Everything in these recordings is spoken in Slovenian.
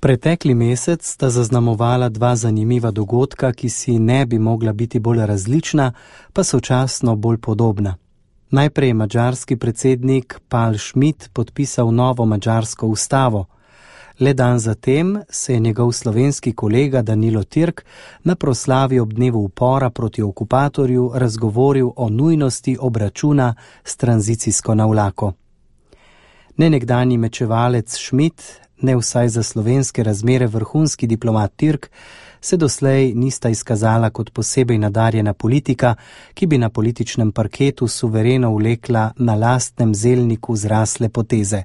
Pretekli mesec sta zaznamovala dva zanimiva dogodka, ki si ne bi mogla biti bolj različna, pa sočasno bolj podobna. Najprej je madžarski predsednik Pál Schmidt podpisal novo madžarsko ustavo. Le dan zatem se je njegov slovenski kolega Danilo Türk na proslavi ob dnevu upora proti okupatorju razgovoril o nujnosti obračuna s tranzicijsko navlako. Ne nekdanji mečevalec Schmidt, ne vsaj za slovenske razmere vrhunski diplomat Türk, se doslej nista izkazala kot posebej nadarjena politika, ki bi na političnem parketu suvereno vlekla na lastnem zelniku zrasle poteze.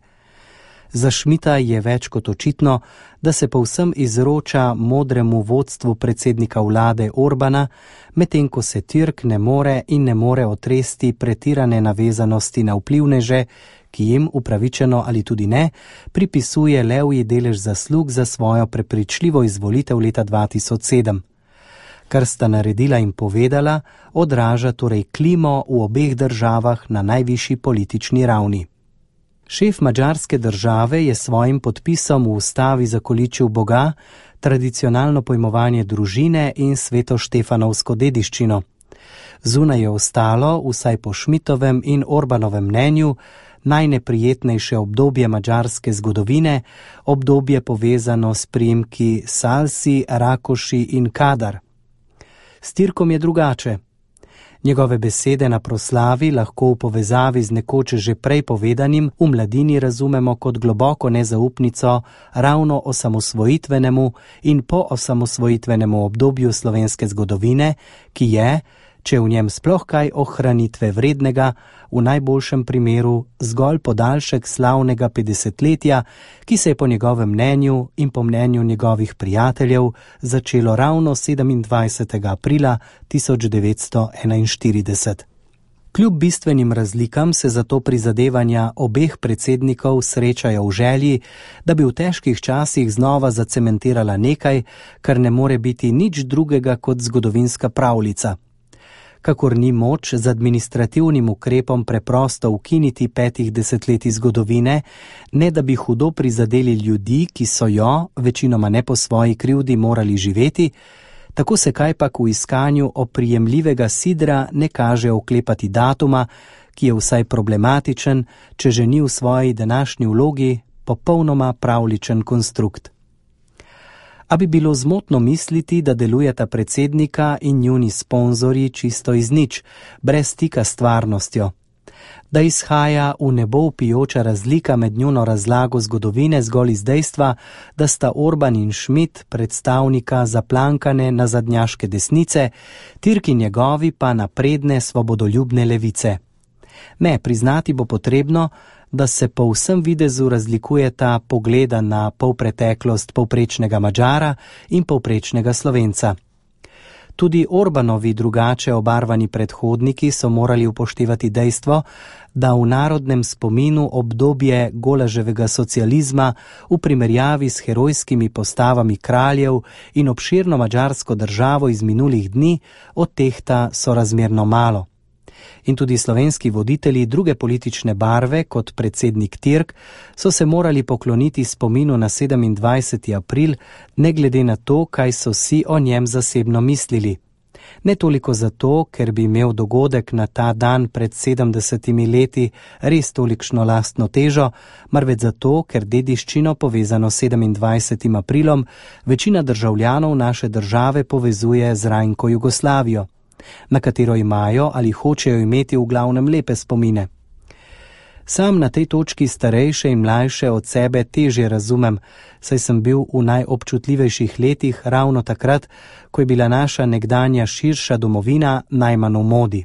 Za Schmidta je več kot očitno, da se povsem izroča modremu vodstvu predsednika vlade Orbana, medtem ko se Türk ne more otresti pretirane navezanosti na vplivneže, ki jim, upravičeno ali tudi ne, pripisuje levji delež zaslug za svojo prepričljivo izvolitev leta 2007. Kar sta naredila in povedala, odraža torej klimo v obeh državah na najvišji politični ravni. Šef madžarske države je svojim podpisom v ustavi zakoličil Boga, tradicionalno pojmovanje družine in svetoštefanovsko dediščino. Zunaj je ostalo, vsaj po Schmidtovem in Orbanovem mnenju, najneprijetnejše obdobje madžarske zgodovine, obdobje povezano s priimki Salsi, Rakoši in Kadar. S Türkom je drugače. Njegove besede na proslavi lahko v povezavi z nekoč že prej povedanim v mladini razumemo kot globoko nezaupnico ravno osamosvojitvenemu in po osamosvojitvenemu obdobju slovenske zgodovine, ki je, če v njem sploh kaj ohranitve vrednega, v najboljšem primeru zgolj podaljšek slavnega 50-letja, ki se je po njegovem mnenju in po mnenju njegovih prijateljev začelo ravno 27. aprila 1941. Kljub bistvenim razlikam se zato prizadevanja obeh predsednikov srečajo v želji, da bi v težkih časih znova zacementirala nekaj, kar ne more biti nič drugega kot zgodovinska pravljica. Kakor ni moč z administrativnim ukrepom preprosto ukiniti 5 desetletij zgodovine, ne da bi hudo prizadeli ljudi, ki so jo, večinoma ne po svoji krivdi, morali živeti, tako se kajpak v iskanju oprijemljivega sidra ne kaže oklepati datuma, ki je vsaj problematičen, če že ni v svoji današnji vlogi popolnoma pravličen konstrukt. A bi bilo zmotno misliti, da delujeta predsednika in njuni sponzorji čisto iz nič, brez stika s stvarnostjo. Da izhaja v nebo vpijoča razlika med njuno razlago zgodovine zgolj iz dejstva, da sta Orban in Schmidt predstavnika zaplankane nazadnjaške desnice, Türk in njegovi pa napredne svobodoljubne levice. Ne, priznati bo potrebno, da se po vsem videzu razlikujeta pogleda na polpreteklost povprečnega Madžara in povprečnega Slovenca. Tudi Orbanovi drugače obarvani predhodniki so morali upoštevati dejstvo, da v narodnem spominu obdobje golaževega socializma v primerjavi s herojskimi postavami kraljev in obširno madžarsko državo iz minulih dni odtehta sorazmerno malo. In tudi slovenski voditelji druge politične barve, kot predsednik Türk, so se morali pokloniti spominu na 27. april, ne glede na to, kaj so si o njem zasebno mislili. Ne toliko zato, ker bi imel dogodek na ta dan pred 70 leti res tolikšno lastno težo, marveč zato, ker dediščino povezano s 27. aprilom večina državljanov naše države povezuje z rajnko Jugoslavijo, na katero imajo ali hočejo imeti v glavnem lepe spomine. Sam na tej točki starejše in mlajše od sebe težje razumem, saj sem bil v najobčutljivejših letih ravno takrat, ko je bila naša nekdanja širša domovina najmanj v modi.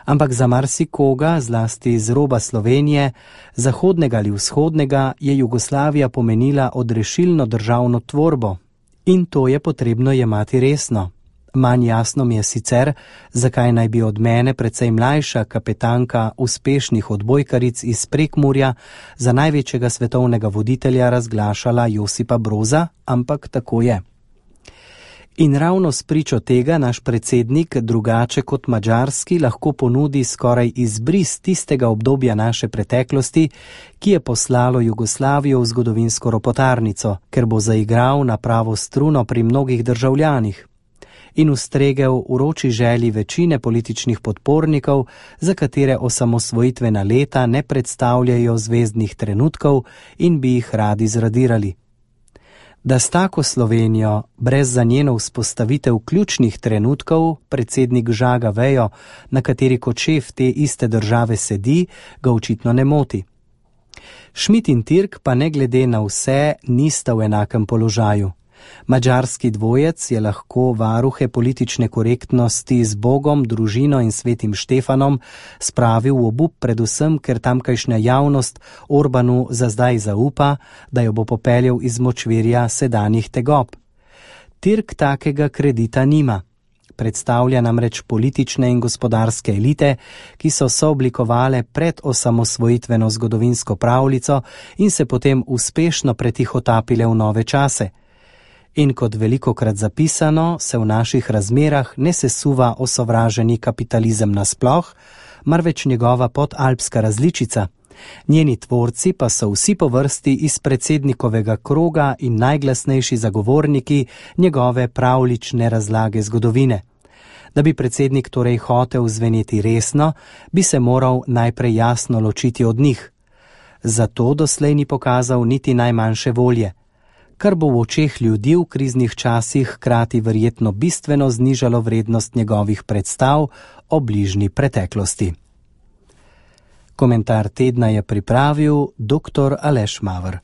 Ampak za marsikoga, zlasti z roba Slovenije, zahodnega ali vzhodnega, je Jugoslavija pomenila odrešilno državno tvorbo in to je potrebno jemati resno. Manj jasno mi je sicer, zakaj naj bi od mene precej mlajša kapetanka uspešnih odbojkaric iz Prekmurja za največjega svetovnega voditelja razglašala Josipa Broza, ampak tako je. In ravno spričo tega naš predsednik, drugače kot madžarski, lahko ponudi skoraj izbris tistega obdobja naše preteklosti, ki je poslalo Jugoslavijo v zgodovinsko ropotarnico, ker bo zaigral na pravo struno pri mnogih državljanih in ustregel uroči želji večine političnih podpornikov, za katere osamosvojitvena leta ne predstavljajo zvezdnih trenutkov in bi jih radi zradirali. Da s tako Slovenijo, brez za njeno vzpostavitev ključnih trenutkov, predsednik žaga vejo, na kateri kot šef te iste države sedi, ga očitno ne moti. Schmidt in Türk pa ne glede na vse nista v enakem položaju. Madžarski dvojec je lahko varuhe politične korektnosti z Bogom, družino in svetim Štefanom spravil v obup, predvsem, ker tamkajšnja javnost Orbanu za zdaj zaupa, da jo bo popeljal iz močvirja sedanjih tegob. Türk takega kredita nima. Predstavlja namreč politične in gospodarske elite, ki so sooblikovale pred osamosvojitveno zgodovinsko pravljico in se potem uspešno pretihotapile v nove čase. In kot velikokrat zapisano, se v naših razmerah ne sesuva osovraženi kapitalizem nasploh, marveč njegova podalpska različica. Njeni tvorci pa so vsi po vrsti iz predsednikovega kroga in najglasnejši zagovorniki njegove pravljične razlage zgodovine. Da bi predsednik torej hotel zveneti resno, bi se moral najprej jasno ločiti od njih. Zato doslej ni pokazal niti najmanjše volje, kar bo v očeh ljudi v kriznih časih hkrati verjetno bistveno znižalo vrednost njegovih predstav o bližnji preteklosti. Komentar tedna je pripravil dr. Aleš Maver.